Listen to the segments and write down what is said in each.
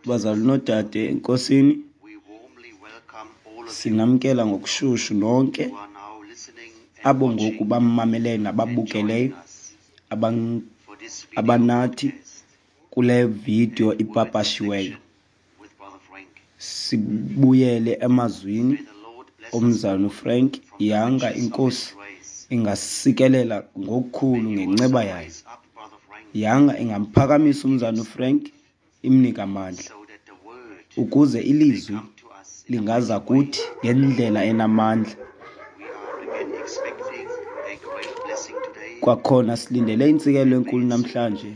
Bazalwane noodade eNkosini, sinamkela ngokushushu nonke abo ngoku bamameleyo nababukeleyo abanathi kule vidiyo ipapashiweyo. Sibuyele emazwini omzalwana uFrank. Yanga iNkosi ingasikelela ngokukhulu ngenceba yayo. Yanga ingamphakamisa umzalwana uFrank, imnike amandla ukuze ilizwi lingaza kuthi ngendlela enamandla. Kwakhona silindele intsikelelo enkulu namhlanje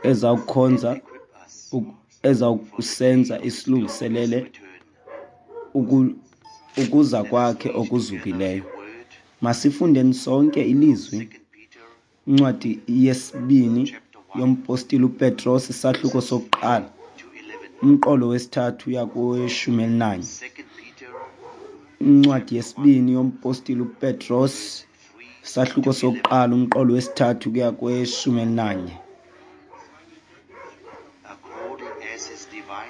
ezawukhonza ezawukusenza isilungiselele ukuza kwakhe okuzukileyo. Masifundeni sonke ilizwi, incwadi yesibini yompostile uPetros, isahluko sokuqala, umqolo wesithathu uya koweshumi elinanye. Incwadi yesibini yompostile uPetros, isahluko sokuqala, umqolo wesithathu kuya kweshumi elinanye.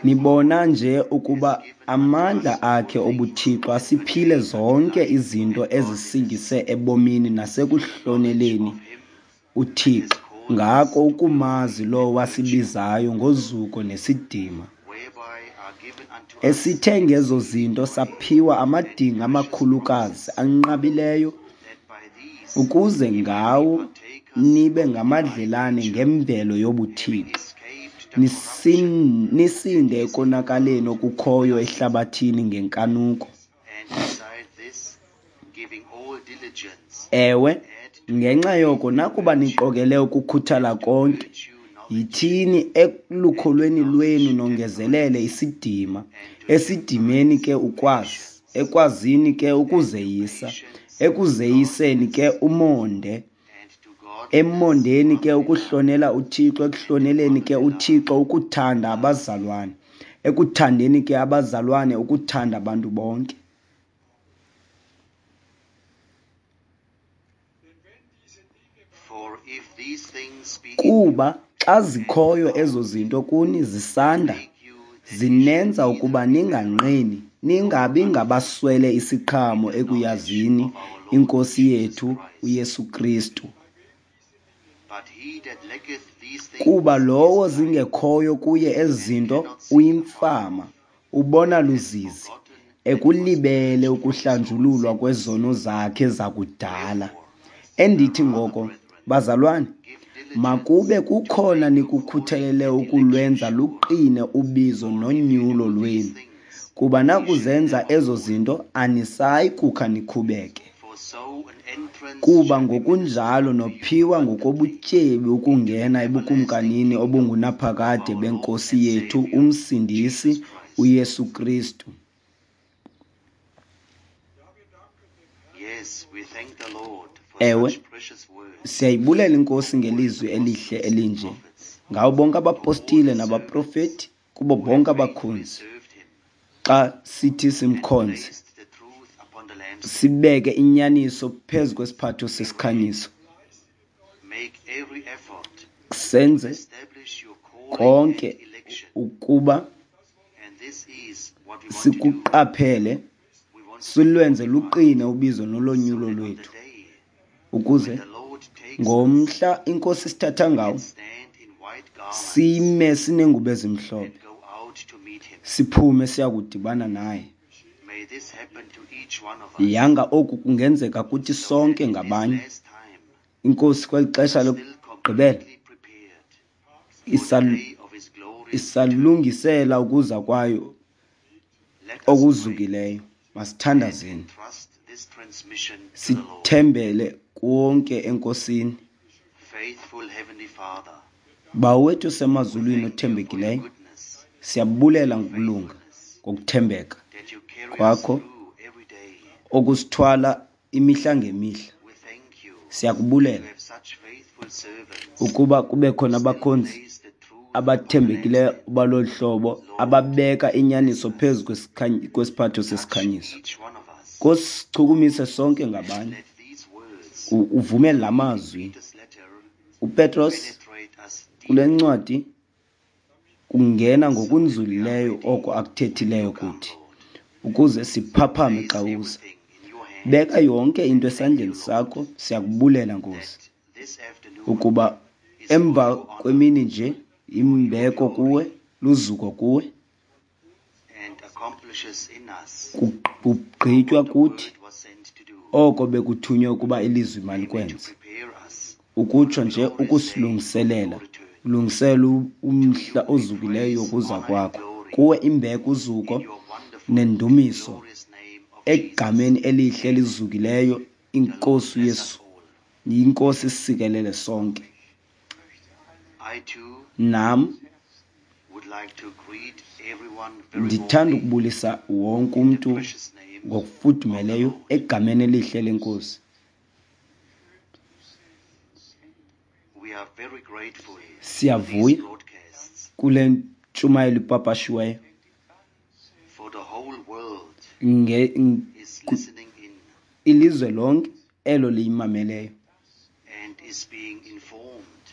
Nibona nje ukuba amandla akhe obuthixo asiphile zonke izinto ezisingise ebomini nasekuhloneleni uThixo, ngako ukumazi lowo wasibizayo ngozuko nesidima, esithe ngezo zinto saphiwa amadinga amakhulukazi anqabileyo, ukuze ngawo nibe ngamadlelane ngemvelo yobuthixo, nisinde ekonakaleni okukhoyo ehlabathini ngenkanuko. Ewe, ngenxa yoko nakuba niqokele ukukhuthala konke, yithini elukholweni lwenu nongezelele isidima, esidimeni ke ukwazi, ekwazini ke ukuzeyisa, ekuzeyiseni ke umonde, emondeni ke ukuhlonela uThixo, ekuhloneleni ke uThixo ukuthanda abazalwane, ekuthandeni ke abazalwane ukuthanda abantu bonke. Kuba xa zikhoyo ezo zinto kuni zisanda, zinenza ukuba ninganqeni, ningabi ngabaswele isiqhamo ekuyazini iNkosi yethu uYesu Kristu. Kuba lowo zingekhoyo kuye ezi zinto uyimfama, ubona luzizi, ekulibele ukuhlanjululwa kwezono zakhe zakudala. Endithi ngoko, bazalwane, makube kukhona nikukhuthalele ukulwenza luqine ubizo nonyulo lwenu, kuba nakuzenza ezo zinto anisayi kukha nikhubeke. Kuba ngokunjalo nophiwa ngokobutyebi ukungena ebukumkanini obungunaphakade beNkosi yethu uMsindisi uYesu Kristu. Ewe, siyayibulela iNkosi ngelizwi elihle elinje, ngawo bonke abapostile nabaprofeti, kubo bonke abakhonzi. Xa sithi simkhonze, sibeke inyaniso phezu kwesiphatho sesikhanyiso, senze konke ukuba sikuqaphele, silwenze luqine ubizo nolonyulo lwethu, ukuze ngomhla iNkosi sithatha ngawo sime sinengubo ezimhlophe, siphume siya kudibana naye. Yanga oku kungenzeka kuthi sonke ngabanye. INkosi kweli xesha lokugqibela isalungisela ukuza kwayo okuzukileyo. Masithandazeni, sithembele konke eNkosini. Bawo wethu osemazulwini othembekileyo, siyabulela ngokulunga, ngokuthembeka kwakho okusithwala imihla ngemihla. Siyakubulela ukuba kube khona abakhonzi abathembekileyo balolu hlobo, ababeka inyaniso phezu kwesiphatho sesikhanyiso. Nkosi, sichukumise sonke ngabanye, uvumele la mazwi uPetros Kule ncwadi kungena ngokunzulileyo oko akuthethileyo kuthi, ukuze siphaphame xa uza. Beka yonke into esandleni sakho. Siyakubulela, Nkosi, ukuba emva kwemini nje imbeko kuwe, luzuko kuwe, kugqitywa kuthi oko bekuthunywe ukuba ilizwi malikwenze, ukutsho nje ukusilungiselela, ulungisela umhla ozukileyo wokuza kwakho. Kuwe imbeko, uzuko nendumiso egameni elihle elizukileyo iNkosi uYesu. INkosi isikelele sonke. Nam ndithanda ukubulisa wonke umntu ngokufudumeleyo egameni elihle leNkosi. Siyavuya kule ntshumayelo ipapashiweyo. Ilizwe lonke elo liyimameleyo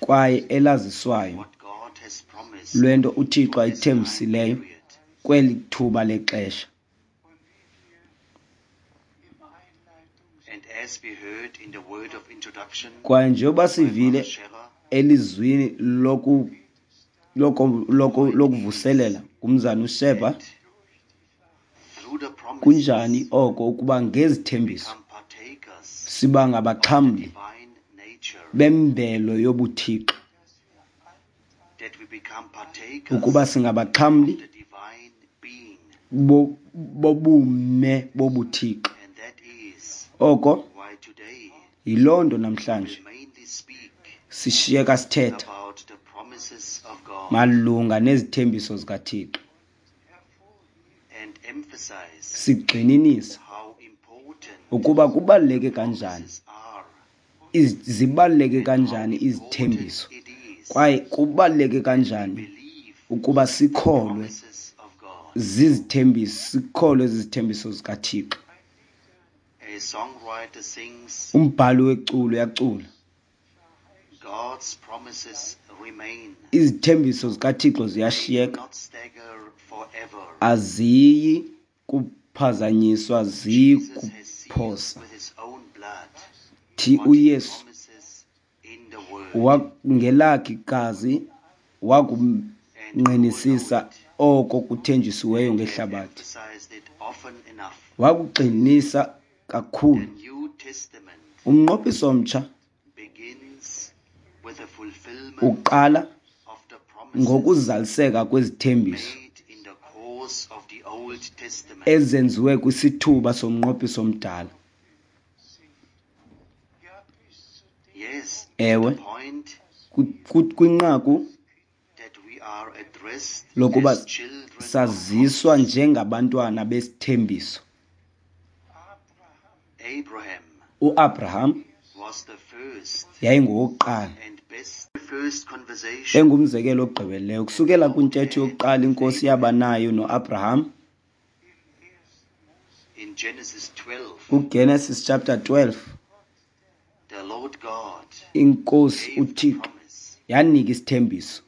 kwaye elaziswayo lwento uThixo ayithembisileyo kweli thuba lexesha. Kwaye njengoba sivile elizwini lokuvuselela ngumzana uSheba, kunjani oko ukuba ngezithembiso siba ngabaxhamli bemvelo yobuThixo, ukuba singabaxhamli bobume bobuThixo. Oko yiloo nto namhlanje sishiyeka sithetha malunga nezithembiso zikaThixo, sigxininisa ukuba kubaluleke kanjani, zibaluleke kanjani izithembiso, kwaye kubaluleke kanjani ukuba sikholwe zizithembiso, sikholwe zizithembiso zikaThixo. Umbhali weculo uyacula, izithembiso zikaThixo ziyashiyeka, aziyi kuphazanyiswa, ziyi kuphosa. Thi uYesu ngelakhe igazi wakungqinisisa oko kuthenjisiweyo ngehlabathi, wakugxininisa kakhulu. Umnqophiso omtsha uqala ngokuzaliseka kwezithembiso ezenziwe kwisithuba somnqophiso omdala. Ewe, kwinqaku lokuba saziswa njengabantwana besithembiso. UAbraham yayingowokuqala, engumzekelo ogqibeleleyo. Kusukela kwintetho yokuqala iNkosi yaba nayo noAbraham kuGenesis chapter 12, iNkosi uThixo yanika isithembiso.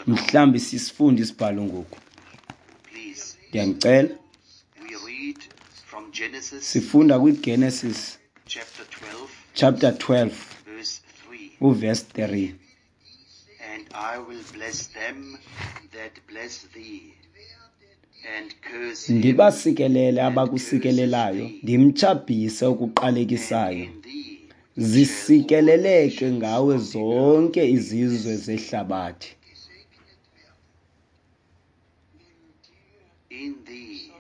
Mhlawumbi sisifunde isibhalo ngoku. Ndiyanicela. Sifunda kwiGenesis chapter 12 uverse 3. And I will bless them that bless thee, and curse him Ndibasikelele abakusikelelayo, ndimtshabhise okuqalekisayo. in thee. Zisikeleleke ngawe zonke izizwe zehlabathi. In thee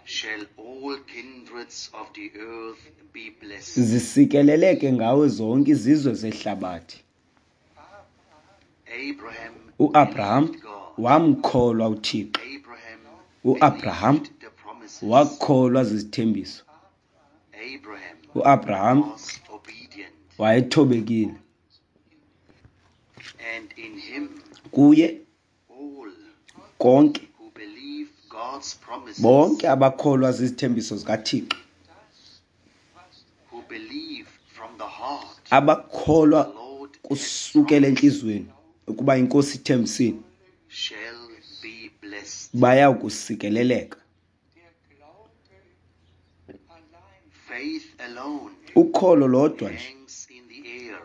shall all kindreds of the earth be blessed. Zisikeleleke ngawe zonke izizwe zehlabathi. Abraham uAbraham believed God. wamkholwa uThixo. Abraham uAbraham believed the promises. wakholwa zizithembiso. Abraham uAbraham was obedient, wayethobekile. and in him Kuye all konke who believe God's promises, bonke abakholwa zizithembiso zikaThixo, who believe from the heart abakholwa the Lord kusukela entliziyweni ukuba iNkosi ithembisile, shall be blessed. Baya kusikeleleka. Faith alone Ukholo lodwa nje hangs in the air.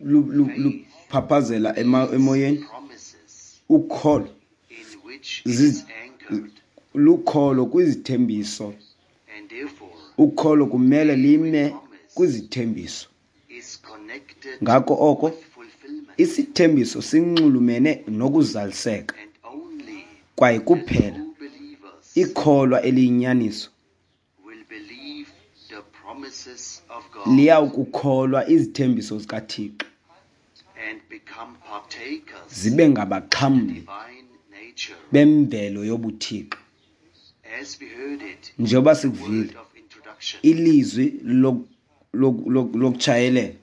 luphaphazela emoyeni. Promises Ukholo in which it is anchored, lukholo kwizithembiso. And therefore Ukholo kumele lime kwizithembiso. Is connected Ngako oko with fulfillment, isithembiso sinxulumene nokuzaliseka, and only kwaye kuphela true believers ikholwa eliyinyaniso will believe the promises of God liyawukukholwa izithembiso zikaThixo and become partakers zibe ngabaxhamli divine nature. bemvelo yobuThixo. As we heard it, Njengoba the sikuvile word of introduction, ilizwi lokutshayelela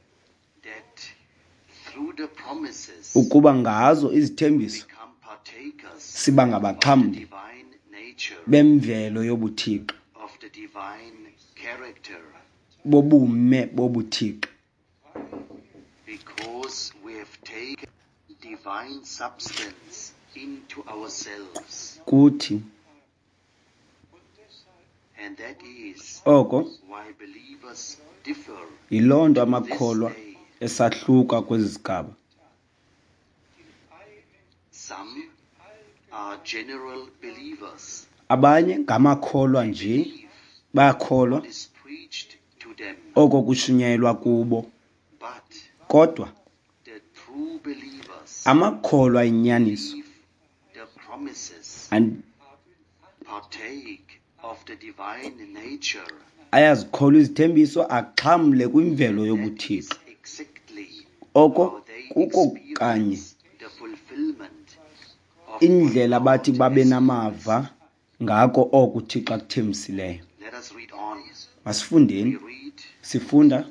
that through the promises ukuba ngazo izithembiso become partakers siba of the ngabaxhamli divine nature, bemvelo yobuThixo, of the divine character, bobume bobuThixo, because we have taken divine substance into ourselves. Kuthi. And that is Oko why believers differ yiloo nto to this amakholwa day. esahluka kwezi zigaba. Some are general believers. Abanye ngamakholwa nje, Believe bayakholwa what is preached to them. oko kushunyayelwa kubo, But kodwa the true believers amakholwa inyaniso believe the promises, partake of the divine nature. Ayazikholwa izithembiso, axhamle kwimvelo That is yobuThixo. exactly Oko how they kuko kanye experience the fulfillment of what indlela bathi God babe has namava ngako oko uThixo akuthembisileyo. promised. Let us read on. Masifundeni. We read Sifunda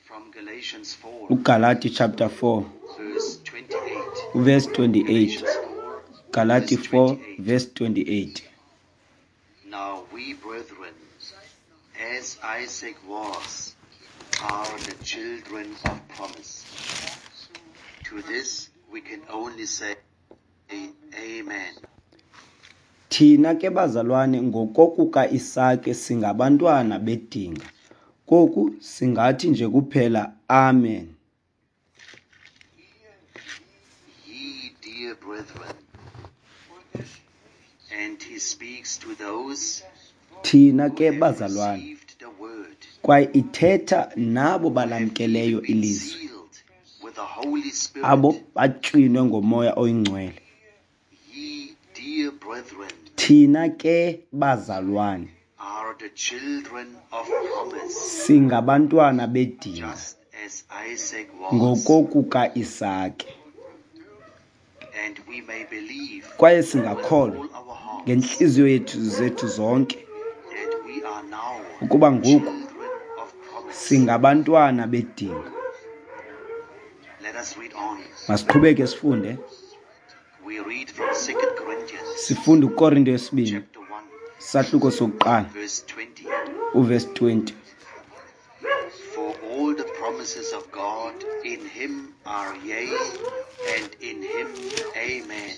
from Galatians 4, uGalati chapter 4 verse 28. uverse 28. Galatians 4, Galati verse 4 28. verse 28. Now we, brethren, as Isaac was, are the children of promise. To this we can only say, Amen. Thina ke bazalwane ngokokuka Isake singabantwana bedinga. Koku singathi nje kuphela amen. Ye dear brethren, and he speaks to those Thina who ke have bazalwane, received the word, kwaye ithetha nabo who have balamkeleyo even been ilizwi, sealed with the Holy Spirit. Abo batywinwe ngomoya oyingcwele. Ye dear brethren Thina ke bazalwane are the children of promise, singabantwana bedinga just as Isaac was, ngokokuka Isake, and we may believe kwaye with singakholwa all our hearts ngentliziyo yethu zethu zonke that we are now ukuba ngoku children of promise. singabantwana bedinga. Let us read on. Masiqhubeke sifunde. We read from 2 Corinthians Sifunda uKorinto yesibini chapter 1, sahluko sokuqala verse 20. uverse 20. For all the promises of God in him are yea, and in him amen.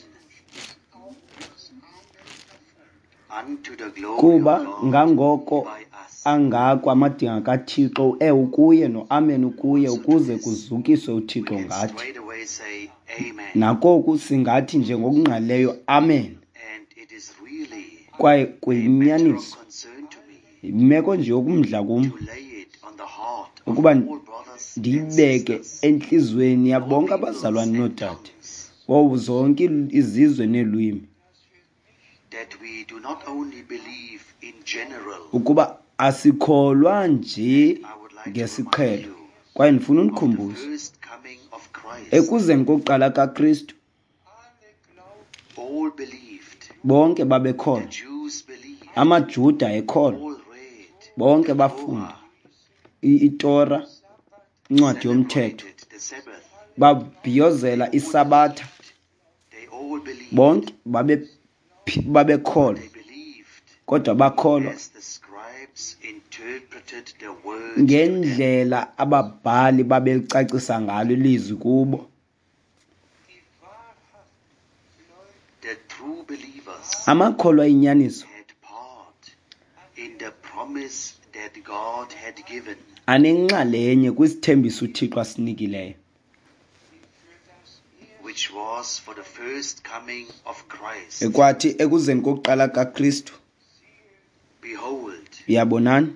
Unto the glory Kuba of God ngangoko by us. angako amadinga kaThixo, uewe ukuye noamen ukuye, Also to ukuze this, kuzukiswe we uThixo can ngathi. straight away say amen. Nakoku singathi nje ngokungqalileyo amen. And it is really Kwaye a matter of kuyinyaniso, concern to me yimeko nje yokumdla kum to lay it on the heart of ukuba all brothers and ndiyibeke sisters, entliziyweni all yabonke peoples abazalwane and noodade, tongues, wowo zonke izizwe neelwimi, that we do not only believe in general. Ukuba asikholwa nje And I would like to remind ngesiqhelo. you Kwaye ndifuna of the unikhumbuze first coming of Christ. ekuzeni kokuqala kaKristu, All believed. bonke The babekholwa. Jews believed. AmaJuda ekholwa, All read bonke the bafunda Torah, iTora, incwadi yomthetho, celebrated the Sabbath. babhiyozela All iSabatha, believed. They all believed. bonke babekholwa, They believed kodwa bakholwa as the scribes interpreted interpreted the word to them. Ngendlela ababhali babelicacisa ngalo ilizwi kubo. The true believers Amakholwa inyaniso had part in the promise that God had given. Anenxalenye kwisithembiso uThixo asinikileyo, which was for the first coming of Christ. Ekwathi ekuzeni kokuqala kaKristu. Behold, Yabonani,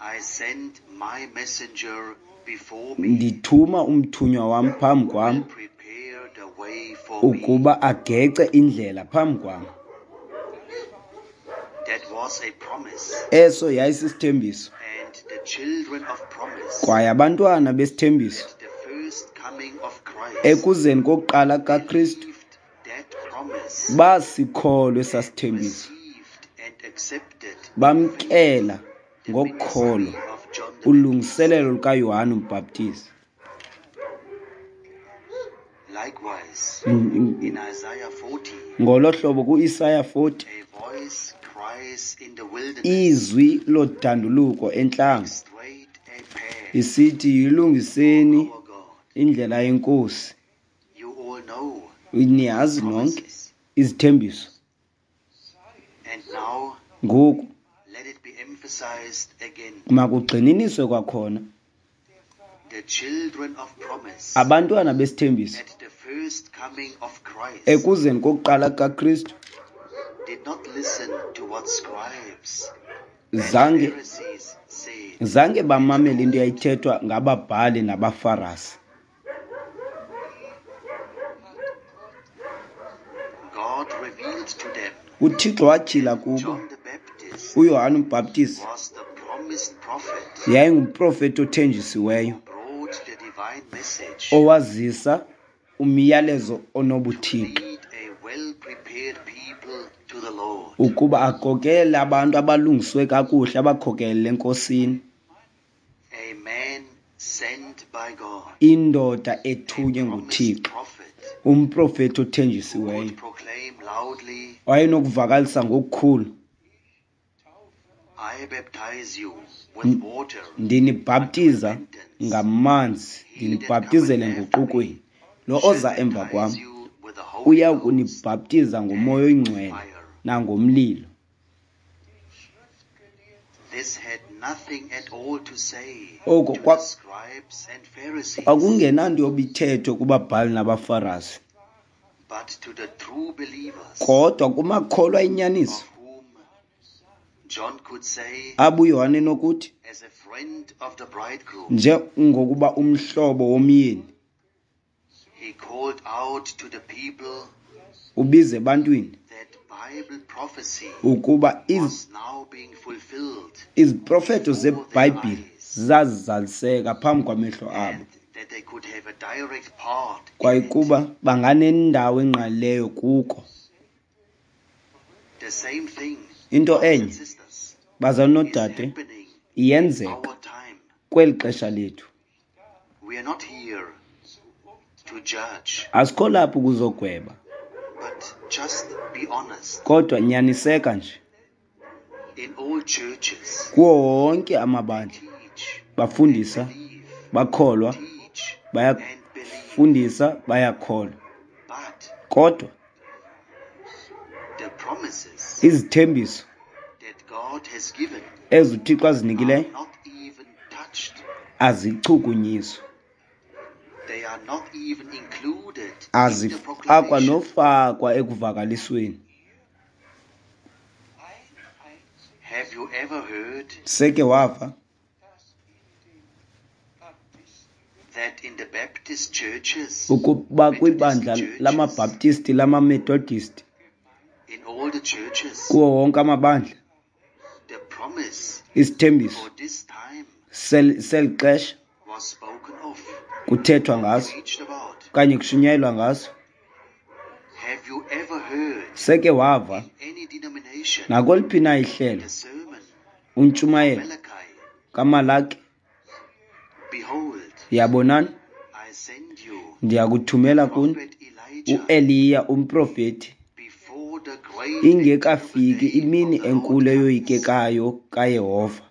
I send my messenger before me, ndithuma umthunywa wam phambi kwam will prepare the way for me. Ukuba agece indlela phambi kwam. That was a promise. Eso yayisisithembiso. And the children of promise Kwaye abantwana besithembiso at the first coming of Christ ekuzeni kokuqala kaKristu believed that promise, basikholwe esasithembiso, received and accepted bamkela the ngokholo ministry of John the Baptist. ulungiselelo lukaYohane uMbhaptizi. Likewise, in Isaiah 40, Ngolo hlobo kuIsaya 40, a voice cries in the wilderness, izwi lodanduluko entlango straight a path isithi, yilungiseni our God. indlela yeNkosi. You all know Niyazi nonke promises. izithembiso. And now Ngoku let it be emphasized again. makugxininiswe kwakhona. The children of promise Abantwana besithembiso at the first coming of Christ ekuzeni kokuqala kaKristu did not listen to what scribes and zange Pharisees said. Zange bamamele into eyayithethwa ngababhali nabaFarasi. God revealed to them UThixo watyhila kubo John the Baptist uYohane uMbhaptizi was the promised prophet yayingumprofeti othenjisiweyo who brought the divine message owazisa umyalezo onobuthixo to lead a well-prepared people to the Lord. Ukuba akhokelele abantu abalungiswe kakuhle abakhokelele eNkosini. A man sent by God, Indoda ethunywe a nguThixo, promised prophet umprofeti who othenjisiweyo could proclaim loudly, wayenokuvakalisa ngokukhulu, I baptize you with water ndinibhaptiza ngamanzi, He that ndinibhaptizele cometh after me enguqukweni. Lo shall oza emva kwam baptize you with the Holy uya Ghost kunibhaptiza ngoMoya oyiNgcwele fire. nangomlilo. This had nothing at all to say Oko to the scribes and Pharisees, kwakungenanto yobithethwe kubabhali nabaFarasi, but to the true believers, kodwa kumakholwa inyaniso, of whom John could say, abo uYohane nokuthi, as a friend of the bridegroom, njengokuba umhlobo womyeni, he called out to the people ubize ebantwini that Bible prophecy ukuba was now being fulfilled iziprofeto before their zeBhayibhile eyes, zazizaliseka phambi kwamehlo abo, and that they could have a direct part in kwaye it. kuba banganendawo engqalileyo kuko. The same thing, Into brothers and enye, sisters, bazalwane is noodade, happening in iyenzeka our time. kweli xesha lethu. We are not here to judge, Asikho lapho ukuzogweba, but just be honest. kodwa nyaniseka nje. In all churches, Kuwo wonke amabandla teach, bafundisa, believe, bakholwa, teach, and believe. bayafundisa, bayakholwa, But kodwa the promises izithembiso that God has given ezi uThixo are azinikileyo not even touched. azichukunyiswa. They are not even included in the Azifakwa proclamation. nofakwa ekuvakalisweni. Have you ever heard Seke wava that in the Baptist churches, ukuba Methodist kwibandla churches, lamaBhaptisti, lamaMethodisti, in all the churches, kuwo wonke amabandla, the promise isithembiso for this time seli xesha was spoken of, kuthethwa ngaso preached about? okanye kushunyayelwa ngaso? Have you ever heard Seke wava in any denomination nakweliphi na ihlelo the sermon untshumayelo Malachi? kaMalaki? Behold, Yabonani, I send you ndiyakuthumela kuni prophet Elijah uEliya umprofeti before the great Ingekafiki imini enkulu eyoyikekayo kaYehova.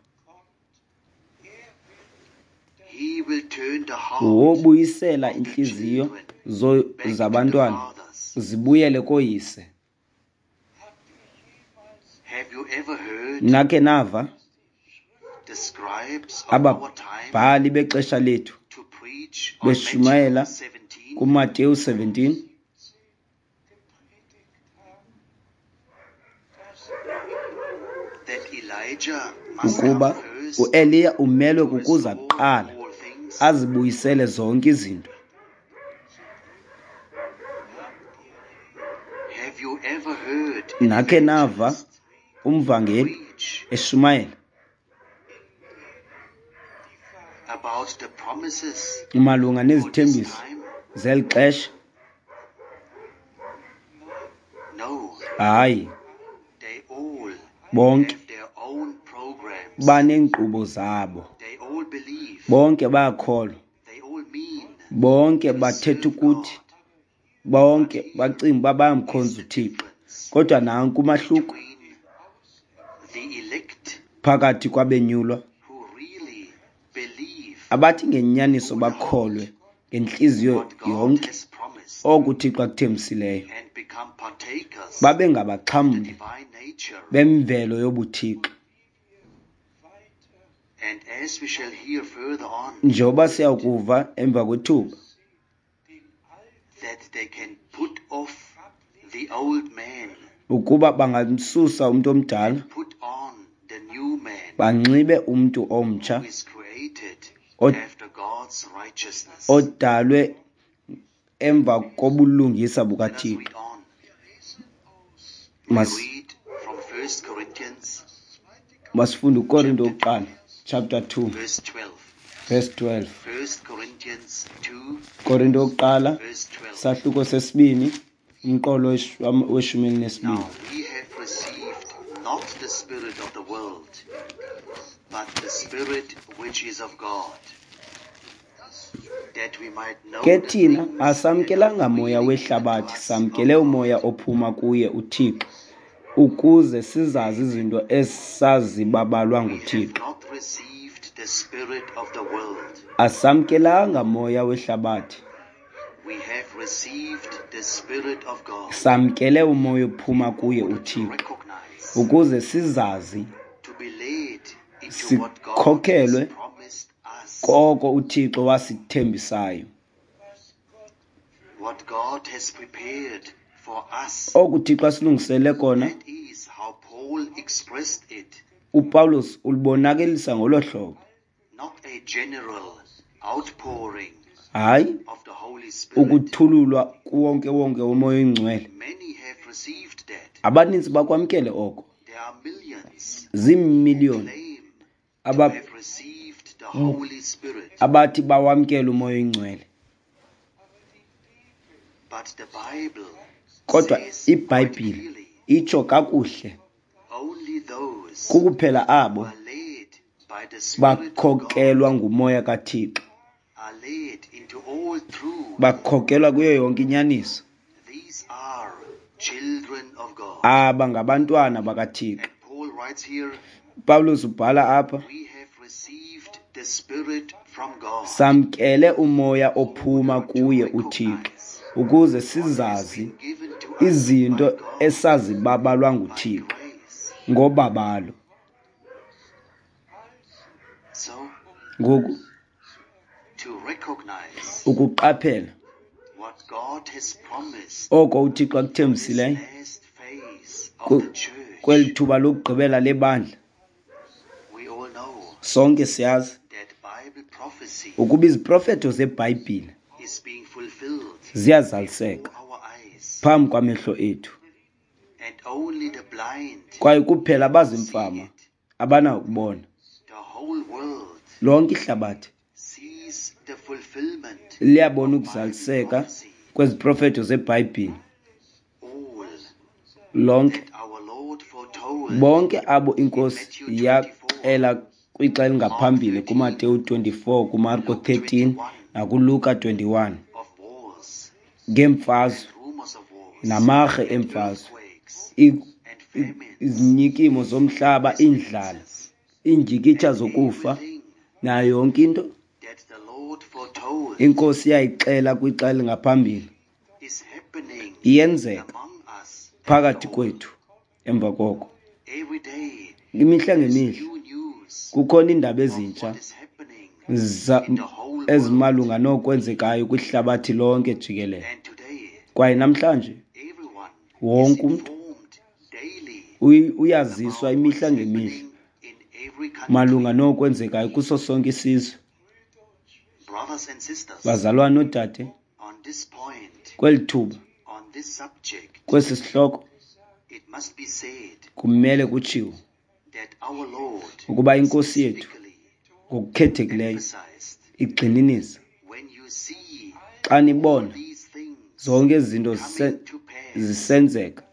Wobuyisela iintliziyo zabantwana zibuyele kooyise. Nakhe nava ababhali bexesha lethu beshumayela kuMateyu 17 ukuba uEliya umelwe kukuza kuqala azibuyisele zonke izinto? Nakhe nava umvangeli eshumayela malunga nezithembiso zeli xesha? Hayi, bonke baneenkqubo zabo, bonke bayakholwa, bonke bathetha ukuthi, bonke bacinga uba bayamkhonza uThixo. Kodwa nanku umahluko phakathi kwabenyulwa abathi ngenyaniso bakholwe ngentliziyo yonke oko uThixo akuthembisileyo, babe ngabaxhamli bemvelo yobuThixo. Njengoba siyakuva emva kwethuba, ukuba bangamsusa umntu omdala banxibe umntu omtsha odalwe emva kobulungisa bukaThixo. Masifunde uKorinto wokuqala chapter 2 verse 12. Korinto wokuqala sahluko sesibini umqolo weshumi elinesibini. Not the spirit of the world, but the spirit which is of God, that we might know Ke thina asamkelanga moya wehlabathi, samkele umoya ophuma kuye uThixo, ukuze sizazi izinto esazibabalwa nguThixo. Asamkelanga moya wehlabathi, samkele umoya ophuma kuye uThixo, ukuze sizazi sikhokhelwe koko uThixo wasithembisayo. Oku uThixo asilungisele kona, uPawulos ulibonakalisa ngolo hlobo. Hayi ukuthululwa kuwonke-wonke woMoya oyiNgcwele. Abaninzi bakwamkele oko. Ziimiliyoni abathi bawamkele uMoya oyiNgcwele. Kodwa iBhayibhile itsho kakuhle, kukuphela abo bakhokelwa nguMoya kaThixo, bakhokelwa kuyo yonke inyaniso. Aba ngabantwana bakaThixo. Pawulos ubhala apha, samkele umoya ophuma kuye uThixo ukuze sizazi izinto esazibabalwa nguThixo ngobabalo. Ngoku ukuqaphela oko uThixo akuthembisileyo kweli thuba lokugqibela lebandla, sonke siyazi ukuba iziprofeto zeBhayibhile ziyazaliseka phambi kwamehlo ethu, kwaye kuphela abazimfama abanakubona. Lonke ihlabathi liyabona ukuzaliseka kweziprofeto zeBhayibhile. Lonke, bonke abo iNkosi yaxela kwixa elingaphambili kuMateyu 24, kuMarko 13 nakuLuka 21 ngeemfazwe namarhe eemfazwe and famines, Izinyikimo zomhlaba, iindlala, pestilences, iindyikitya and zokufa, everything nayo yonke into that the Lord foretold inkosi yayixela kwixa elingaphambili is happening iyenzeka among us after phakathi all. kwethu. Emva koko, Every day imihla there's ngemihla new news kukhona iindaba of ezintsha what is happening in the whole world. ezimalunga nokwenzekayo kwihlabathi lonke jikelele. And today, Kwaye namhlanje everyone is wonke umntu informed daily uyaziswa about what imihla is ngemihla happening in every country. malunga nokwenzekayo kuso sonke isizwe. Brothers and sisters, Bazalwane noodade, on this point, kweli thuba, on this subject, kwesi sihloko, it must be said kumele kutshiwo that our Lord ukuba inkosi yethu specifically ngokukhethekileyo emphasized, igxininisa, when you see xa nibona these things zonke ezi zinto coming to pass, zisenzeka,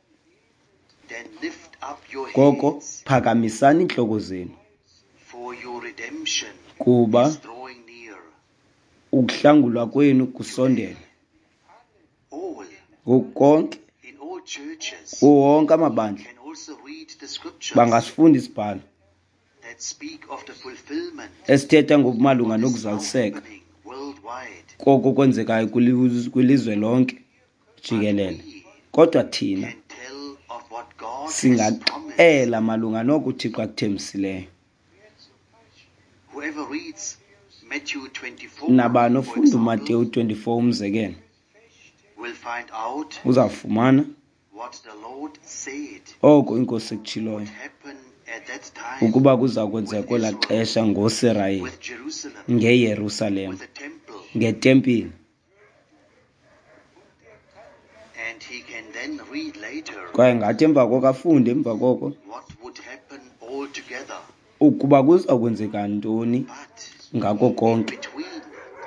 then lift up your koko heads, phakamisani iintloko zenu, for your redemption kuba is drawing near. ukuhlangulwa kwenu kusondele. All Ngoku konke, in all churches kuwo wonke amabandla can also read the scriptures bangasifunda isibhalo that speak of the fulfillment esithetha ngokumalunga of what is now nokuzaliseka happening worldwide. koko kwenzekayo kwilizwe lonke But jikelele. we Kodwa thina can tell of what God has promised. singaxela malunga noko uThixo akuthembisileyo. Whoever reads Matthew 24, Nabani for ofunda example, uMateyu 24 umzekelo, will find out uzawufumana what the Lord said oko inkosi ekutshiloyo would happen at that time ukuba kuza kwenzeka with kwelaa Israel, xesha ngoSirayeli, with Jerusalem, ngeYerusalem, with the temple, ngetempile. and he can then read later Kwaye ngathi emva koko afunde emva koko what would happen altogether. ukuba kuza kwenzeka ntoni But ngako in konke. between,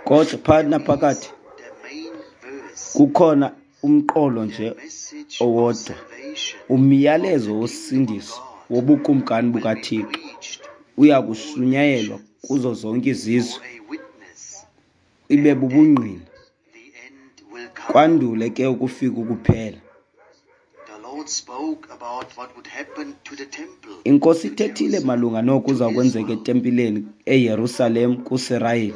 Kodwa phakathi there is naphakathi the main verse, kukhona umqolo the nje message of owodwa, salvation of umyalezo the kingdom of wosindiso God wobukumkani will be bukaThixo preached uya to all kushunyayelwa nations kuzo zonke izizwe, for a witness, ibe and then bubungqina, the end will come. kwandule ke ukufika ukuphela. The Lord spoke about what would happen to the temple, Inkosi to ithethile Jerusalem, malunga noko to kuza kwenzeka Israel. etempileni eYerusalem kuSirayeli.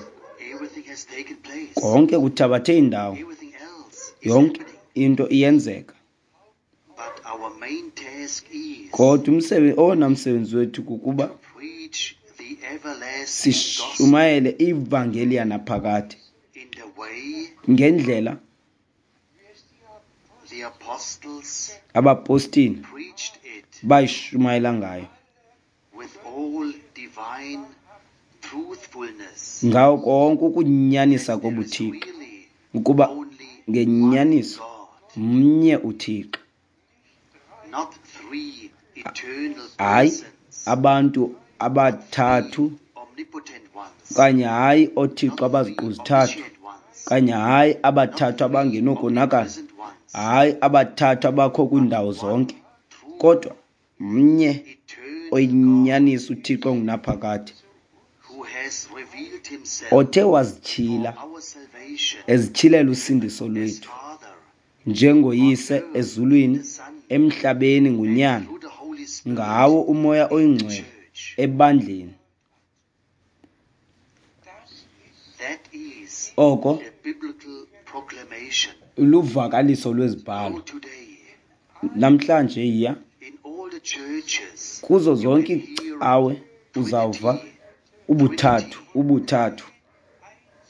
Everything has taken place. Konke kuthabathe indawo, Everything else is yonke happening. into iyenzeka. But our main task is Kodwa owona msebenzi wethu kukuba to preach the everlasting gospel sishumayele ivangeli yanaphakade in the way ngendlela the apostles abapostile preached it, bayishumayela ngayo, with all divine truthfulness. ngawo konke ukunyanisa That there is kobuThixo, really ukuba only one ngenyaniso God, mnye uThixo, not three eternal hayi persons, abantu not three abathathu, omnipotent ones, okanye hayi oothixo not three abaziqu zithathu, omniscient ones, okanye hayi not abathathu three abangenokonakala, omnipresent ones, hayi abathathu abakho but kwiindawo one zonke, true kodwa mnye eternal God oyinyaniso uThixo ongunaphakade, who has revealed himself othe for wazityhila our salvation ezityhilela usindiso as lwethu Father njengoyise on earth in ezulwini, the Son, emhlabeni and nguNyana, through the Holy Spirit ngawo uMoya in the oyiNgcwele church. ebandleni. That is Oko the biblical proclamation. luvakaliso Go lwezibhalo. today Namhlanje yiya in all the churches, kuzo you zonke can hear iicawe uzawuva Trinity, ubuthathu, Trinity, ubuthathu.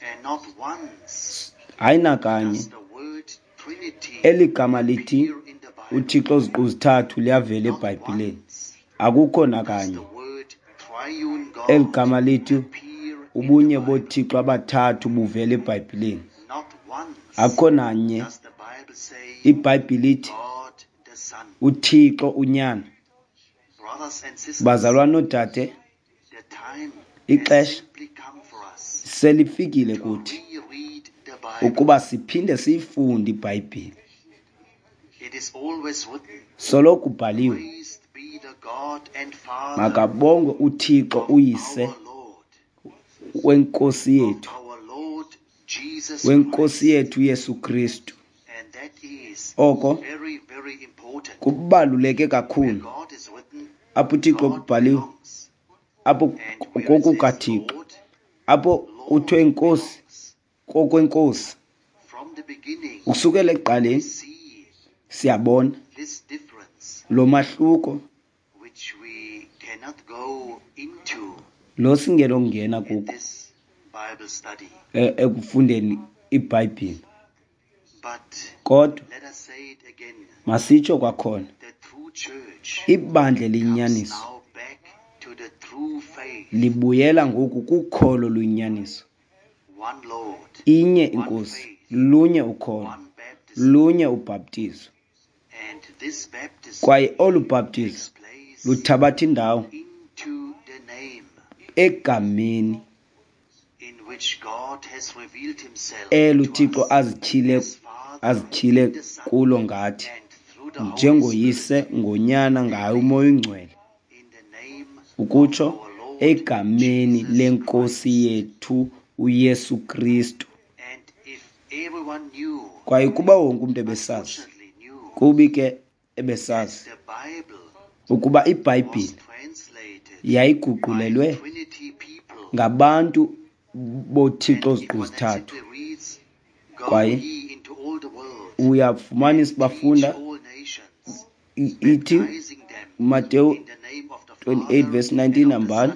and not once Hayi nakanye does the word Trinity eli gama lithi appear in the Bible. uThixo ziqu zithathu liyavela Not eBhayibhileni. once Akukho does nakanye the word triune eli God gama lithi appear in the ubunye Bible. boThixo abathathu buvela eBhayibhileni. Not once Akukho nanye does the Bible say iBhayibhile ithi God the Son. uThixo uNyana. Brothers and sisters, Bazalwane noodade, the time has ixesha simply come for us selifikile to kuthi reread the Bible. ukuba siphinde siyifunde iBhayibhile. It is always written, Soloko kubhaliwe, Praised be the God and Father makabongwe uThixo of uYise our Lord, wenkosi of yethu, our Lord Jesus wenkosi Christ. yethu Yesu Kristu. And that is Oko very, very important. Kubaluleke kakhulu. Apho uThixo kubhaliwe, apho kokukaThixo, apho kuthiwe inkosi kokwenkosi. Ukusukela ekuqaleni siyabona lo mahluko lo singenokungena kuko ekufundeni iBhayibhile. Kodwa masitsho kwakhona, ibandla eliyinyaniso libuyela ngoku kukholo oluyinyaniso. Inye iNkosi, lunye ukholo, lunye ubhaptizo. Kwaye olu bhaptizo luthabatha indawo egameni elo uThixo azityhile kulo ngathi, njengoYise, ngoNyana, ngaye uMoya oyiNgcwele, ukutsho egameni leNkosi yethu uYesu Kristu. Kwaye kuba wonke umntu ebesazi, kubi ke ebesazi ukuba iBhayibhile yayiguqulelwe ngabantu boThixo oziqu zithathu. Kwaye uyafumanisa bafunda ithi Mateyu 28 verse 19, hambani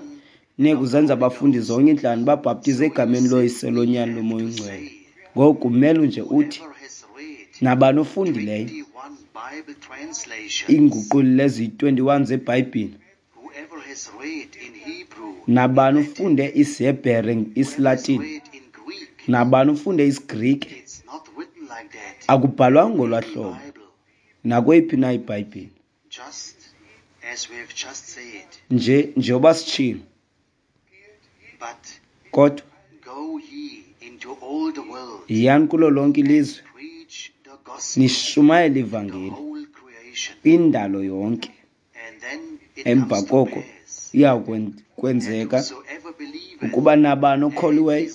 niye kuzenza abafundi zonke iintlanga, babhaptize egameni loYise, loNyana, loMoya oyiNgcwele. Ngoku kumele nje uthi nabani ofundileyo iinguqulelo eziyi-21 zeBhayibhile, nabani ufunde isiHebhere, isiLatini, nabani ufunde isiGrike, akubhalwanga ngolwaa hlobo nakweyiphi na iBhayibhile. Nje njengoba sitshilo, kodwa yiyani kulo lonke ilizwe nishumayele ivangeli kwindalo yonke. Emva koko iya kwenzeka ukuba nabani okholiweyo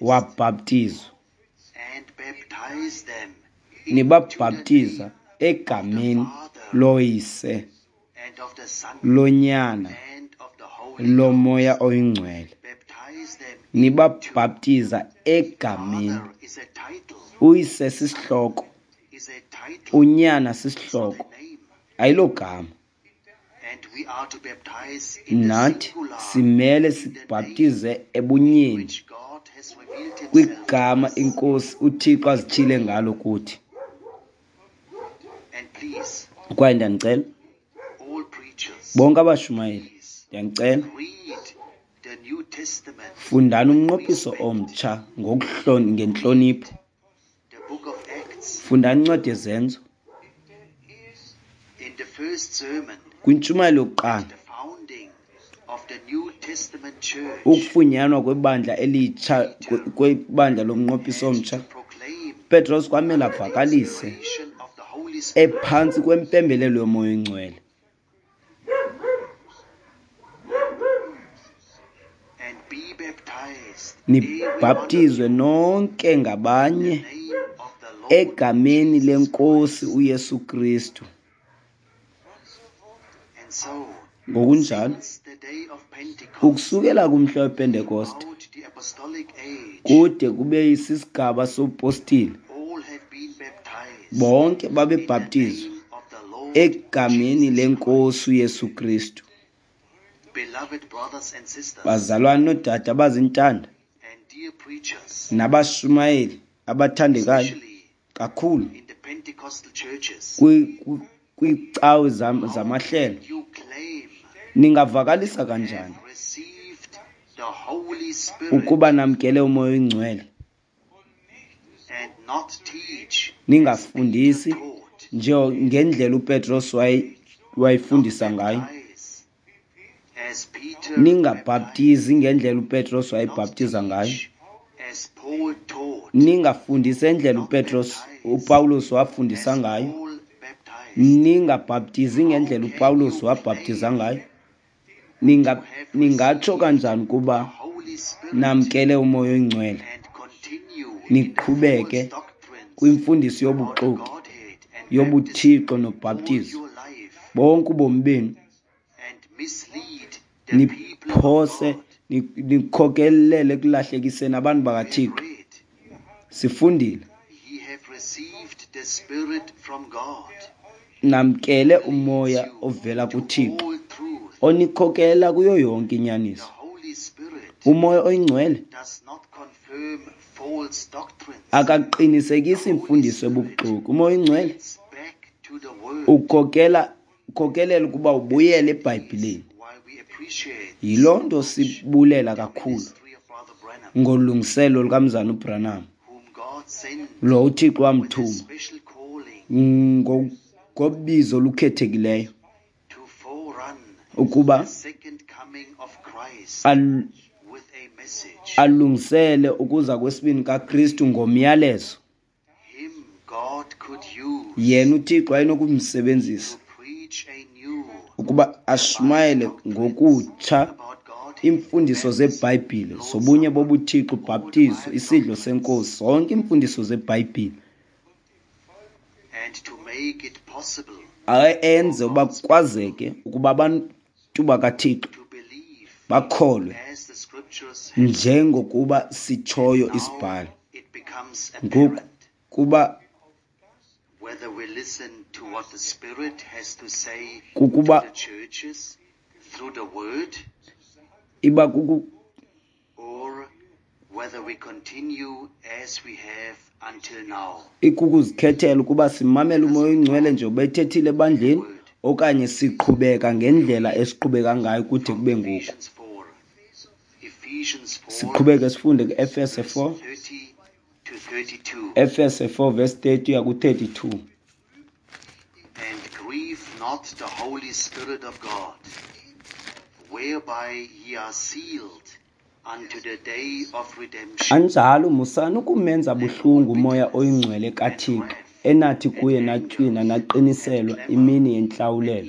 wabhaptizwa, nibabhaptiza egameni loYise, loNyana, loMoya oyiNgcwele. Nibabhaptiza egameni. UYise sisihloko, uNyana sisihloko, ayilogama. Nathi simele sibhaptize ebunyeni kwigama iNkosi uThixo azityhile ngalo kuthi. Kwaye ndiyanicela bonke abashumayeli, ndiyanicela fundani umnqophiso omtsha ngentlonipho. Fundani incwadi yeZenzo. Kwintshumayelo yokuqala, ukufunyanwa kwebandla elitsha, kwebandla lomnqophiso omtsha, Petros kwamele avakalise ephantsi kwempembelelo yoMoya oyiNgcwele. Nibhaptizwe nonke ngabanye egameni leNkosi uYesu Kristu. Ngokunjalo, ukusukela kumhla wePentekoste kude kube sisigaba sobupostile, bonke babebhaptizwa egameni leNkosi uYesu Kristu. Bazalwane noodade abazintanda nabashumayeli abathandekayo kakhulu kwiicawe zamahlelo, ningavakalisa kanjani ukuba namkele uMoya oyiNgcwele ningafundisi nje ngendlela uPetros wayefundisa ngayo, ningabhaptizi ngendlela uPetros wayebhaptiza ngayo, ningafundisi endlela uPawulos wafundisa ngayo, ningabhaptizi ngendlela uPawulos wabhaptiza ngayo? Ningatsho kanjani kuba namkele uMoya oyiNgcwele niqhubeke kwimfundiso yobuxoki yobuthixo nobhaptizo bonke ubomi benu, niphose nikhokelele ekulahlekiseni abantu bakaThixo. Sifundile, namkele umoya ovela kuThixo onikhokelela kuyo yonke inyaniso. Umoya oyingcwele akaqinisekisi imfundiso ebubuxoki. Umoya oyingcwele ukhokelela ukuba ubuyele eBhayibhileni. Yiloo nto sibulela kakhulu ngolungiselo lukaMzana uBranham, lo uThixo wamthuma ngobizo olukhethekileyo ukuba alungisele ukuza kwesibini kaKristu ngomyalezo. Yena uThixo wayenokumsebenzisa ukuba ashumayele ngokutsha iimfundiso zeBhayibhile zobunye bobuThixo, ubhaptizo, isidlo senkosi, zonke iimfundiso zeBhayibhile, enze uba kwazeke ukuba abantu bakaThixo bakholwe njengokuba sitshoyo isibhalo. Ngoku kuba kukuba iba kuku ikukuzikhethela ukuba simamele umoya oyingcwele nje ubethethile ebandleni okanye siqhubeka ngendlela esiqhubeka ngayo kude kube ngoku. Siqhubeke sifunde ku-Efese 4, Efese 4 verse 30 uya ku-32. And grieve not the Holy Spirit of God, whereby ye are sealed unto the day of redemption. Anjalo musani ukumenza buhlungu umoya oyingcwele kaThixo, enathi kuye natywina naqiniselwa imini yentlawulelo.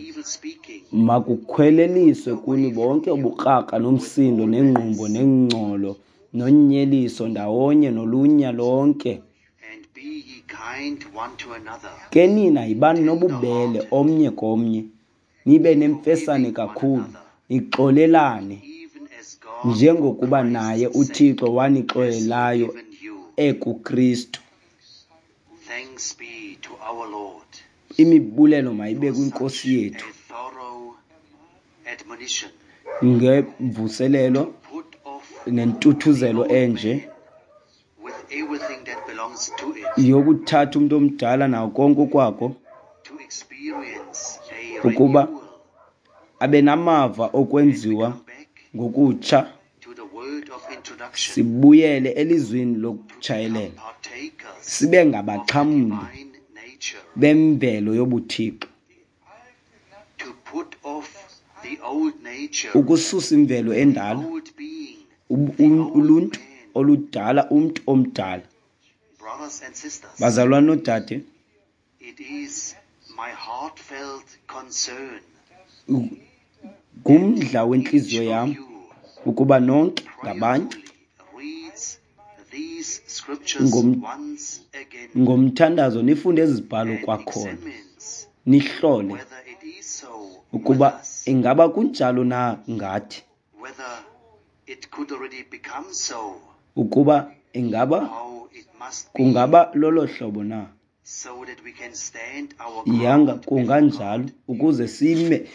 Makukhweleliswe kuni bonke ubukrakra nomsindo nengqumbo nengcolo nonyeliso ndawonye nolunya lonke. Ke nina yibani nobubele omnye komnye, nibe nemfesane kakhulu, nixolelane njengokuba naye uThixo wanixolelayo ekuKristu. Imibulelo mayibe kwinkosi yethu ngemvuselelo nentuthuzelo enje yokuthatha umntu omdala nawo konke okwako ukuba abe namava okwenziwa ngokutsha, sibuyele elizwini lokutshayelela, sibe ngabaxhamli bemvelo yobuthixo, ukususa imvelo endala, uluntu oludala, umntu omdala. Bazalwane noodade, ngumdla wentliziyo yam ukuba nonke ngabanye ngomthandazo nifunde ezi zibhalo kwakhona, nihlole ukuba ingaba kunjalo na ngathi, ukuba ingaba kungaba lolo hlobo na. Yanga kunganjalo ukuze sime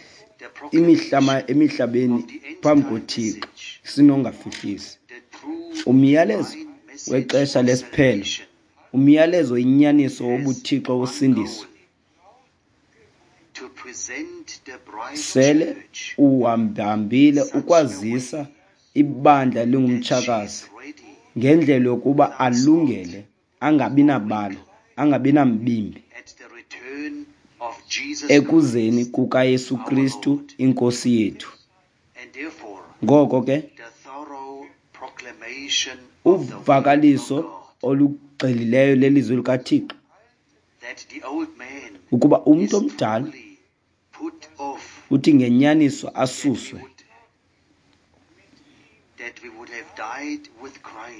emihlabeni phambi koThixo sinongafihlisi. Umyalezo wexesha lesiphelo, umyalezo inyaniso wobuthixo wosindiso sele uhambahambile ukwazisa ibandla lingumtshakazi ngendlela yokuba alungele, angabi nabala, angabi nambimbi ekuzeni kukaYesu Kristu inkosi yethu. Ngoko ke uvakaliso olugxilileyo lelizwi likaThixo ukuba umntu omdala uthi ngenyaniso asuswe,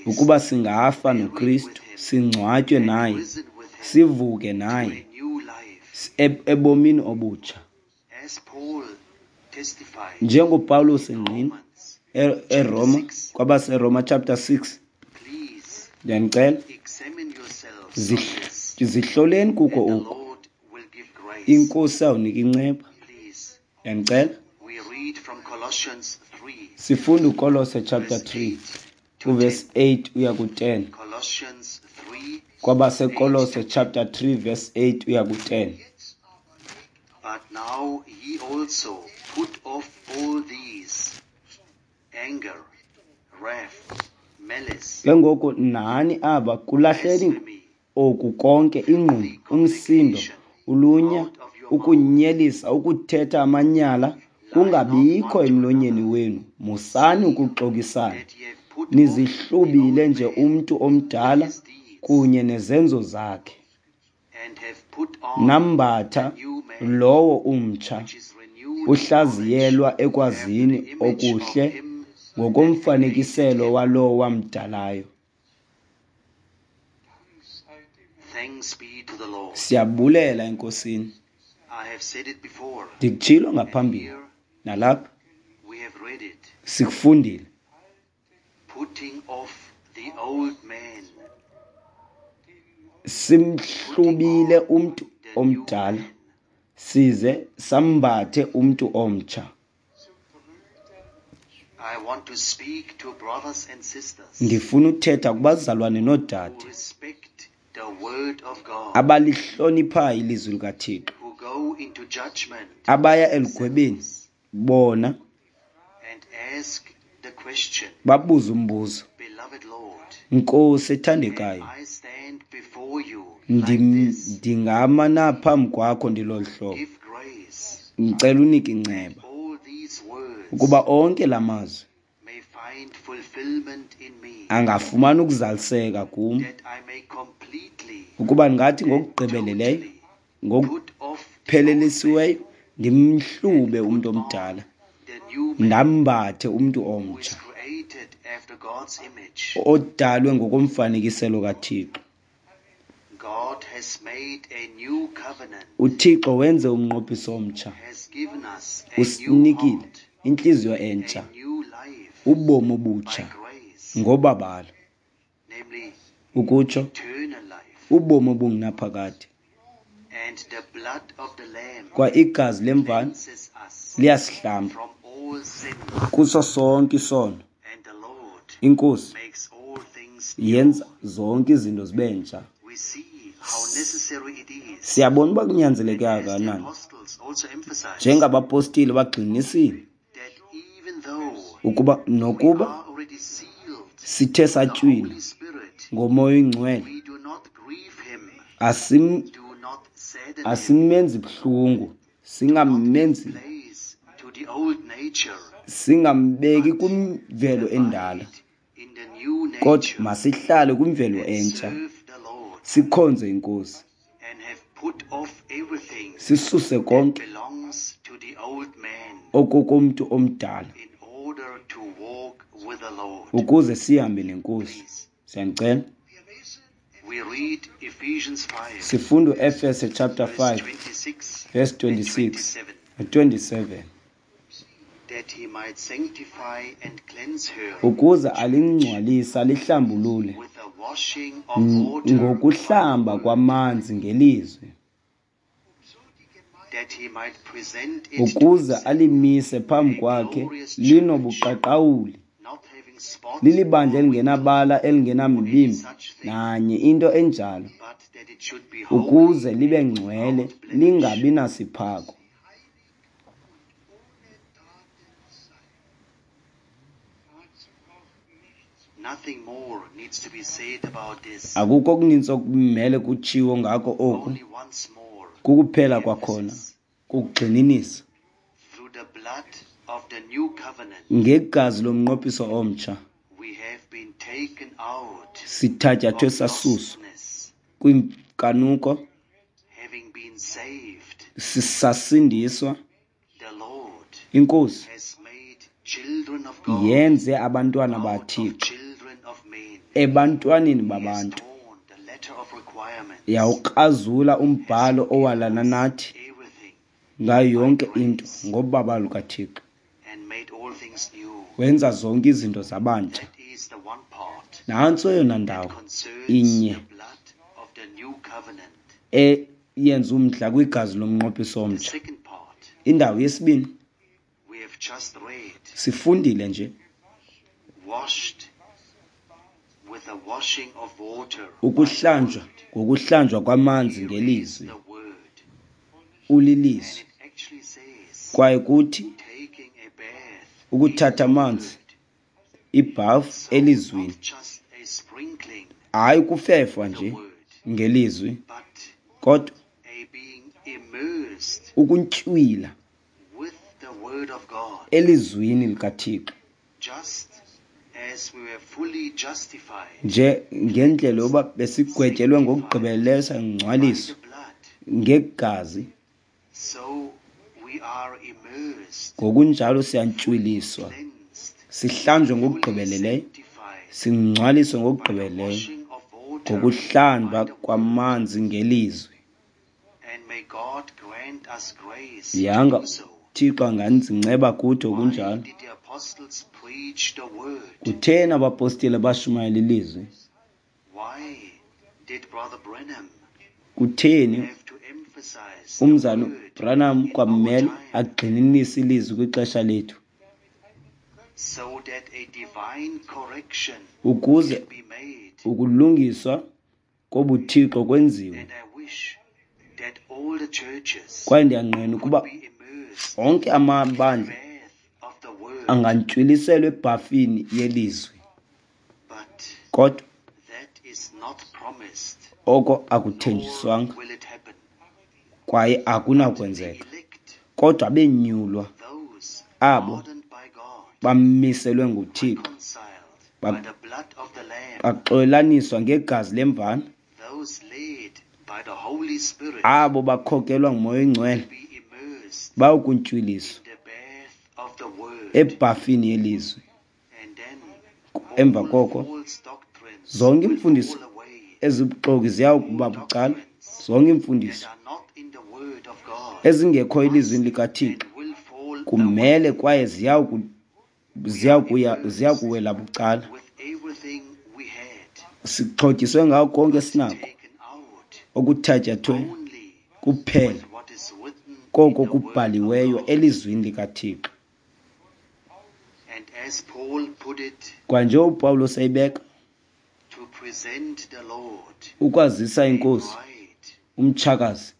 ukuba singafa noKristu, singcwatywe naye, sivuke naye Ebomini obutsha. As Paul testified NjengoPawulos engqina Romans, eRoma, 6, kwabaseRoma chapter 6, please ndiyanicela examine yourselves on this, zihloleni kuko and the oku. Lord will give grace. Inkosi awunika inceba. Please, Ndiyanicela. we read from Colossians 3, Sifunda uKolose chapter verse 3 8 to 10. uverse 8 uya ku-10. Colossians 3, 8 KwabaseKolose to 10. chapter 3 verse 8 uya ku-10. But now ye also put off all these: anger, wrath, malice, Ke ngoku nani aba kulahleni blasphemy, oku konke, ingqumbo, filthy umsindo, communication ulunya, out of your mouth. ukunyelisa, ukuthetha amanyala Lie not kungabikho one to emlonyeni another, wenu. Musani seeing ukuxokisana, that ye have put off the nizihlubile old nje man umntu with omdala his deeds, kunye nezenzo zakhe, and have put on nambatha the new man, lowo umtsha, which is renewed in knowledge uhlaziyelwa after ekwazini the image of okuhle him that created ngokomfanekiselo him. walowo wamdalayo. Thanks be to the Lord. Siyabulela eNkosini. I have said it before, Ndikutshilo and ngaphambili here nalapha we have read it. sikufundile. Putting off the old man, putting Simhlubile on umntu the new omdala man. size sambathe umntu omtsha. I want to speak to brothers and sisters Ndifuna uthetha kubazalwane who noodade respect the word of God, abalihloniphayo ilizwi likaThixo, who go into judgment abaya elugwebeni themselves bona and ask the question, babuze umbuzo, Beloved Lord, Nkosi can ethandekayo, I stand before you like this? ndingama na phambi kwakho ndilolu hlobo? Give grace Ndicela unike that inceba all these words ukuba onke la mazwi may find fulfillment in me, angafumana ukuzaliseka kum, that I may completely ukuba ndingathi and ngokugqibeleleyo, totally put off the old man ngokuphelelisiweyo ndimhlube and umntu put on omdala, the new man ndambathe umntu who is omtsha created after God's image. odalwe ngokomfanekiselo kaThixo. God has made a new covenant, UThixo wenze umnqophiso omtsha, has given us a new usinikile heart, intliziyo a entsha, new life ubomi by obutsha grace, ngobabalo, namely ukutsho eternal life. ubomi obungunaphakade. And the blood of the Lamb Kwa igazi lemvana cleanses us liyasihlamba from all sin, kuso sonke isono. and the Lord Inkosi makes all things new. yenza zonke izinto zibe ntsha. We see how necessary it is, Siyabona uba kunyanzeleke and as the kangakanani, apostles also emphasized, njengabapostile bagxininisile that even though ukuba we nokuba are already sealed sithe with the satywina Holy Spirit, ngoMoya oyiNgcwele, we do not grieve him, do not sadden him, asimenzi buhlungu, do not give singamenzi, place to the old nature, singambeki but kwimvelo endala, abide in the new kodwa nature masihlale kwimvelo and entsha, serve the Lord, sikhonze iNkosi, and have put off everything sisuse that konke belongs to the old man okokomntu omdala in order to walk with the Lord. ukuze sihambe neNkosi. Please, Siyanicela. we read Ephesians 5, Sifunda uEfese chapter verse 5 26 verse and 26 27, no 27, that he might sanctify and cleanse her ukuze church alingcwalise alihlambulule with the washing of water by the ngokuhlamba word, kwamanzi ngelizwi, that he might present it to ukuze himself alimise phambi a kwakhe glorious church, linobuqaqawuli, not having spot lilibandla or wrinkle elingenabala or any elingenamibimbi such thing, nanye into enjalo, but that it should be holy ukuze libe and ngcwele without blemish. lingabi nasiphako. Nothing more needs to be said about this. Akukho okuninzi okumele kutshiwo ngako oku, Only once more, kukuphela kwakhona emphasis. kukugxininisa Through the blood of the new covenant, ngegazi lomnqophiso omtsha we have been taken out sithatyathwe of sasuswa lostness, kwinkanuko, having been saved. sisasindiswa. The Lord Inkosi has made children of God yenze abantwana out of baThixo children of men. ebantwaneni He has babantu. torn the letter of requirement Yawukrazula umbhalo owalana nathi ngayo yonke into ngobabalo lukaThixo. Wenza zonke izinto zabantsha. Nantso eyona ndawo inye eyenza umdla kwigazi lomnqophiso omtsha. Indawo yesibini sifundile nje ukuhlanjwa ngokuhlanjwa kwamanzi ngelizwi, ulilizwi. Kwaye kuthi ukuthatha amanzi ibhafu elizwini, hayi ukufefwa nje ngelizwi, kodwa ukuntywila elizwini likaThixo, nje ngendlela yoba besigwetyelwe ngokugqibeleleyo sangcwaliswa ngegazi, ngokunjalo siyantywiliswa, sihlanjwe ngokugqibeleleyo, singcwaliswe ngokugqibeleleyo ngokuhlamba kwamanzi ngelizwi. Yanga Thixo anganzinceba kuthi okunjalo. Kutheni abapostile bashumayela ilizwi? Kutheni umzana Branham kwamele agxininise ilizwi kwixesha lethu? Ukuze ukulungiswa kobuthixo kwenziwe. Kwaye ndiyanqena ukuba onke amabandla angantywilisela ebhafini yelizwi, kodwa oko akuthenjiswanga kwaye akunakwenzeka. Kodwa abenyulwa, abo bamiselwe nguThixo, baxolelaniswa ngegazi lemvana, abo bakhokelwa nguMoya oyiNgcwele bayokuntywiliswa ebhafini yelizwi. Emva koko zonke iimfundiso ezibuxoki ziyakuba bucala, zonke iimfundiso ezingekho elizwini likaThixo kumele kwaye ziyakuwela bucala. Sixhotyiswe ngako konke esinako okuthatyathwe kuphela koko kubhaliweyo elizwini likaThixo. Kwanje uPawulos eyibeka, ukwazisa inkosi umtshakazi,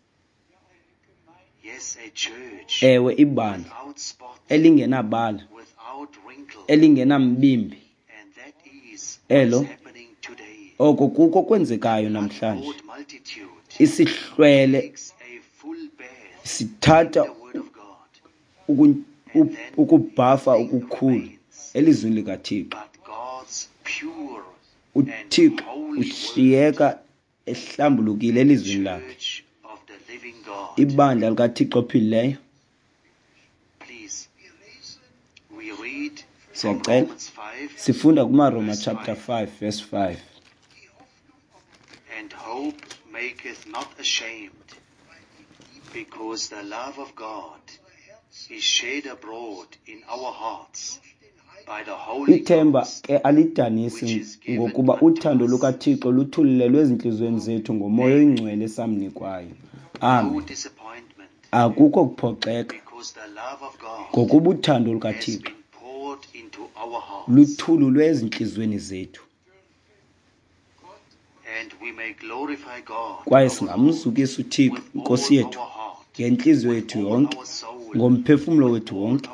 ewe ibandla elingenabala, elingenambimbi, elo oko kuko kwenzekayo namhlanje. Isihlwele sithatha ukubhafa okukhulu elizwini likaThixo. UThixo ushiyeka ehlambulukile elizwini lakhe. Ibandla likaThixo ophilileyo. Siyacela sifunda kumaRoma chapter 5 verse 5. And hope maketh not ashamed, because the love of God is shed abroad in our hearts by the Holy Ithemba ke alidanisi, ngokuba uthando lukaThixo luthululelwe ezintliziyweni zethu ngoMoya oyiNgcwele esamnikwayo. Amen. Akukho kuphoxeka, ngokuba uthando lukaThixo luthululwe ezintliziyweni zethu. Kwaye singamzukisa uThixo inkosi yethu ngentliziyo yethu yonke, ngomphefumlo wethu wonke,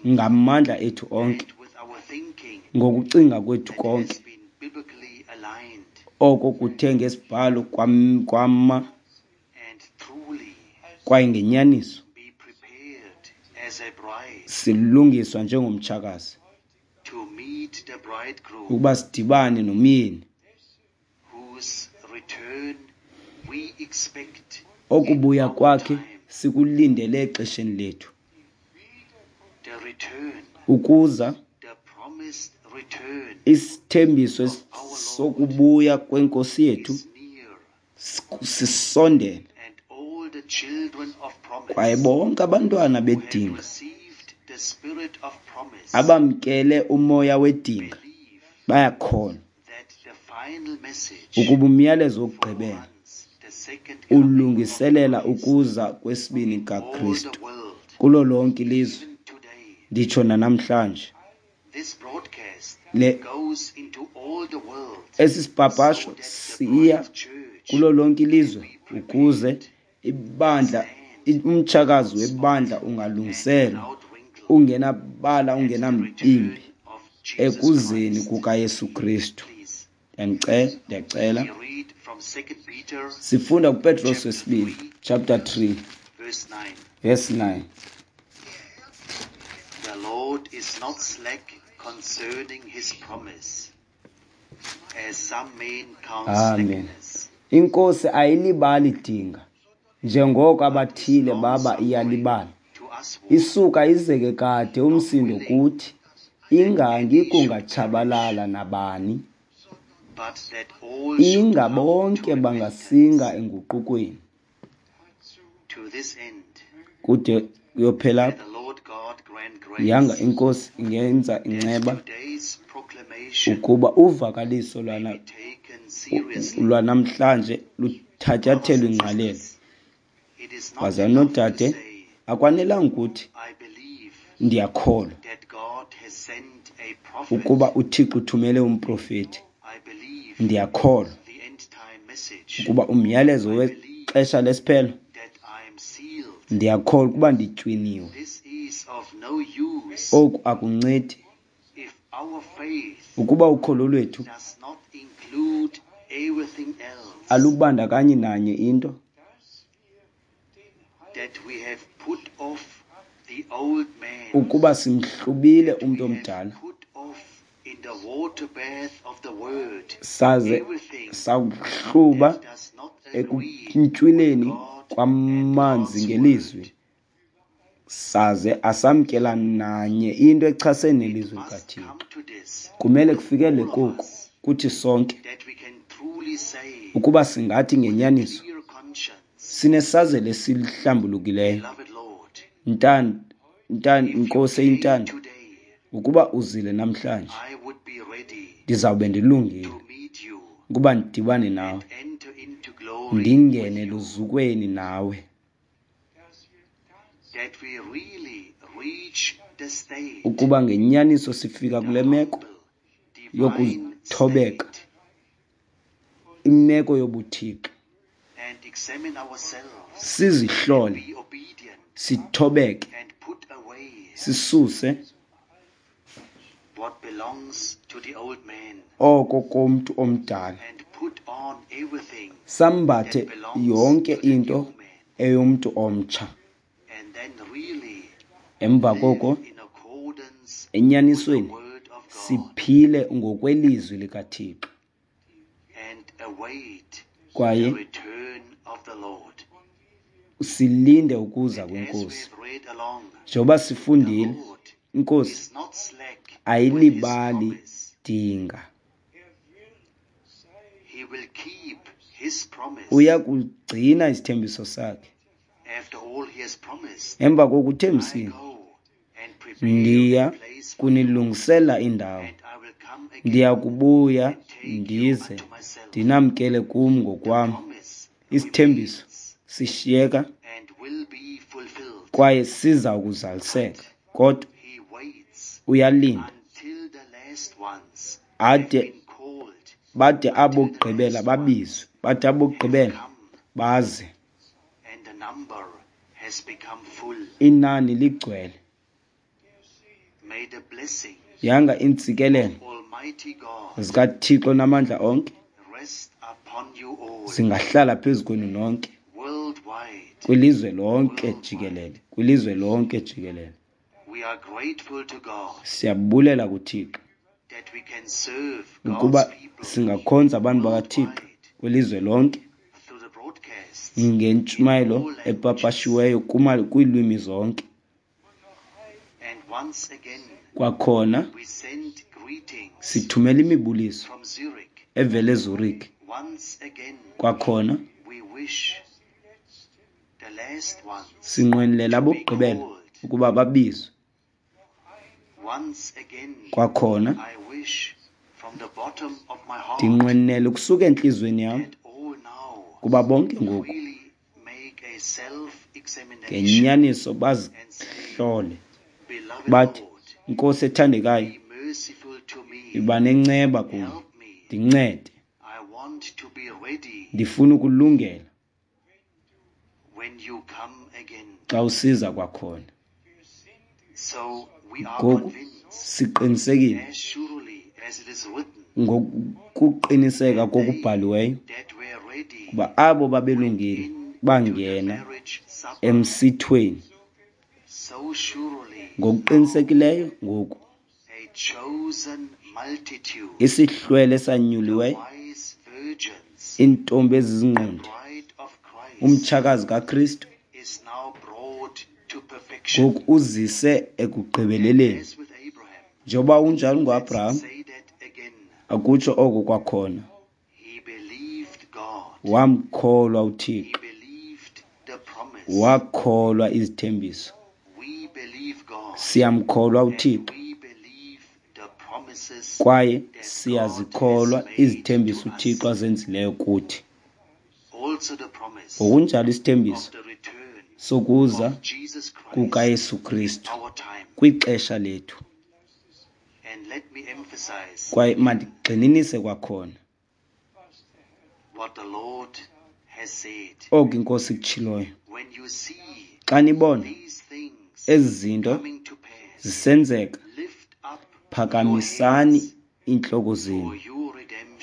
ngamandla ethu onke, ngokucinga kwethu konke, oko kuthe ngesibhalo kwama kwaye ngenyaniso silungiswa njengomtshakazi ukuba sidibane nomyeni okubuya kwakhe sikulindele exesheni lethu. Ukuza isithembiso sokubuya kwenkosi yethu Sisondele. Kwaye bonke abantwana bedinga abamkele umoya wedinga bayakholwa ukuba umyalezo wokugqibela ulungiselela ukuza kwesibini kaKristu kulo lonke ilizwe, nditsho nanamhlanje. Le esi sipapasho siya kulo lonke ilizwe ukuze ibandla, umtshakazi webandla ungalungiselwa ungenabala, ungenambimbi ekuzeni kukaYesu Kristu. Ndiyacela. Sifunda kuPetros wesibini chapter 3 verse 9. The Lord is not slack concerning his promise, as some men count Amen. slackness. Inkosi ayilibali dinga njengoko abathile baba iyalibala. Isuka izeke kade umsindo kuthi, ingangi kungatshabalala nabani, But that all should inga come to bonke repentance. bangasinga enguqukweni. To this end, Kude kuyophela may the Lord God grant grace yanga inkosi ingenza that inceba today's proclamation ukuba uvakaliso be taken seriously. lwanamhlanje luthatyathelwe ingqalelo. It is not Bazalwane enough to noodade, say, akwanelanga ukuthi I believe ndiyakholwa that God has sent a prophet. ukuba uThixo uthumele umprofeti. I believe Ndiyakholwa the end time message, ukuba umyalezo wexesha lesiphelo, that I am sealed. ndiyakholwa ukuba nditywiniwe. This is of no use Oku akuncedi if our faith ukuba ukholo lwethu does not include everything else alubandakanyi nanye into, that we have put off the old man, ukuba simhlubile umntu we have omdala put off in the water bath of the word saze everything sawuhluba that does not agree ekuntywileni with God and kwamanzi God's ngelizwi, word. saze asamkela nanye into echasene nelizwi Must likaThixo. come to this, Kumele kufikele all of koku us, kuthi sonke that we can truly say ukuba singathi ngenyaniso clear conscience, sinesazela esihlambulukileyo. beloved Lord, Ntan if you Nkosi came eyintando, today, ukuba uzile namhlanje, I would be ready ndizawube ndilungile to meet you ukuba ndidibane nawe, and enter into glory ndingene with you, luzukweni nawe, that we really reach the state, ukuba ngenyaniso sifika the kule meko humble, divine yokuthobeka, state, imeko yobuthixo, and examine ourselves, sizihlole, be obedient, sithobeke, and put away sisuse what belongs to the old man oko komntu omdala, and put on everything sambathe that belongs yonke to the into new man, eyomntu omtsha. and then really Emva live koko in accordance with the enyanisweni word of God siphile ngokwelizwi likaThixo and await the kwaye return of the Lord. silinde ukuza And as we kwenkosi. have read along, Njengoba the sifundile, Lord inkosi is not slack with his ayilibali promise. dinga, He will keep his promise. uya kugcina isithembiso sakhe. After all he has promised, Emva I kokuthembisile, go and prepare ndiya a place for you, kunilungisela indawo, and I will come again ndiya kubuya and take you ndize unto myself. ndinamkele kum The ngokwam. promise Isithembiso remains sishiyeka and will be fulfilled. kwaye siza kuzaliseka, kodwa He waits uyalinda until the last ones have ade been called, bade until the abokugqibela last ones babizwe, bade have abokugqibela come baze, and the number has become full. inani ligcwele. May the blessing Yanga iintsikelelo of Almighty God zikaThixo namandla onke rest upon you all zingahlala phezu kwenu nonke worldwide. kwilizwe lonke jikelele, kwilizwe lonke jikelele. We are grateful to God Siyabulela kuThixo that we can serve God's ukuba people singakhonza abantu bakaThixo worldwide kwilizwe lonke through the broadcasts in ngentshumayelo all languages. epapashiweyo kwiilwimi zonke. And once again, Kwakhona we send greetings sithumela imibuliso from Zurich, evela eZurich, Kwakhona sinqwenelela abokugqibela ukuba babizwe. Kwakhona ndinqwenela ukusuka entliziyweni yam kuba bonke ngoku ngenyaniso bazihlole bathi, Nkosi ethandekayo, yiba nenceba kum, ndincede. Ndifuna ukulungela xa usiza kwakhona. Ngoku siqinisekile ngokuqiniseka kokubhaliweyo kuba abo babelungile bangena emsithweni. Ngokuqinisekileyo ngoku isihlwele esanyuliweyo, iintombi ezizingqondi, umtshakazi kaKristu ngoku uzise ekugqibeleleni. Njengoba unjalo ngoAbraham, akutsho oko kwakhona. Wamkholwa uThixo, wakholwa izithembiso. Siyamkholwa uThixo kwaye siyazikholwa izithembiso uThixo azenzileyo kuthi. Ngokunjalo isithembiso sokuza kukaYesu Kristu kwixesha lethu. Kwaye mandigxininise kwakhona oku iNkosi ikutshiloyo. Xa nibona ezi zinto zisenzeka, phakamisani iintloko zenu,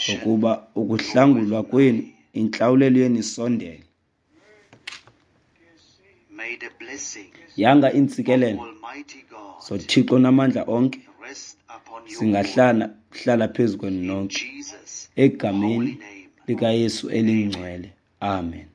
ngokuba ukuhlangulwa kwenu, intlawulelo yenu isondele. Yanga iintsikelelo zoThixo namandla onke zingahlala hlala phezu kwenu nonke, egameni likaYesu elingcwele. Amen.